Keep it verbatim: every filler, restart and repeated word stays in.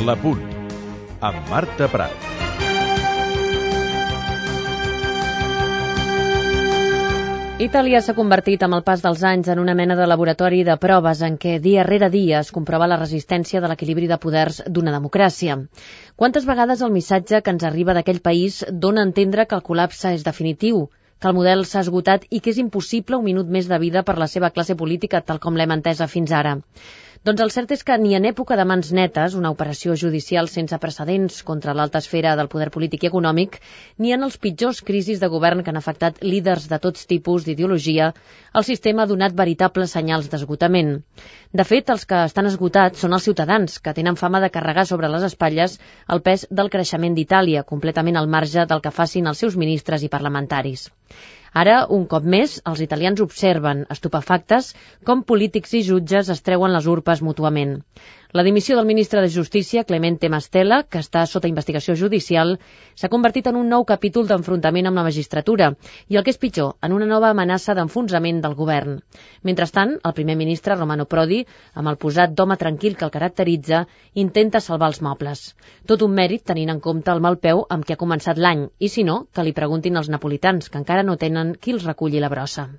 L'Apunt, amb Marta Prat. Itàlia s'ha convertit amb el pas dels anys en una mena de laboratori de proves en què dia rere dia es comprova la resistència de l'equilibri de poders d'una democràcia. Quantes vegades el missatge que ens arriba d'aquell país dona a entendre que el col·lapse és definitiu, que el model s'ha esgotat i que és impossible un minut més de vida per la seva classe política tal com l'hem entesa fins ara. Doncs el cert és que ni en època de mans netes, una operació judicial sense precedents contra l'alta esfera del poder polític i econòmic, ni en els pitjors crisis de govern que han afectat líders de tots tipus d'ideologia, el sistema ha donat veritables senyals d'esgotament. De fet, els que estan esgotats són els ciutadans, que tenen fama de carregar sobre les espatlles el pes del creixement d'Itàlia, completament al marge del que facin els seus ministres i parlamentaris. Ara, un cop més, els italians observen, estupefactes, com polítics i jutges es treuen les urpes mútuament. La dimissió del ministre de Justícia, Clemente Mastella, que està sota investigació judicial, s'ha convertit en un nou capítol d'enfrontament amb la magistratura i, el que és pitjor, en una nova amenaça d'enfonsament del govern. Mentrestant, el primer ministre, Romano Prodi, amb el posat d'home tranquil que el caracteritza, intenta salvar els mobles. Tot un mèrit tenint en compte el mal peu amb què ha començat l'any, i si no, que li preguntin als napolitans, que encara no tenen qui els reculli la brossa.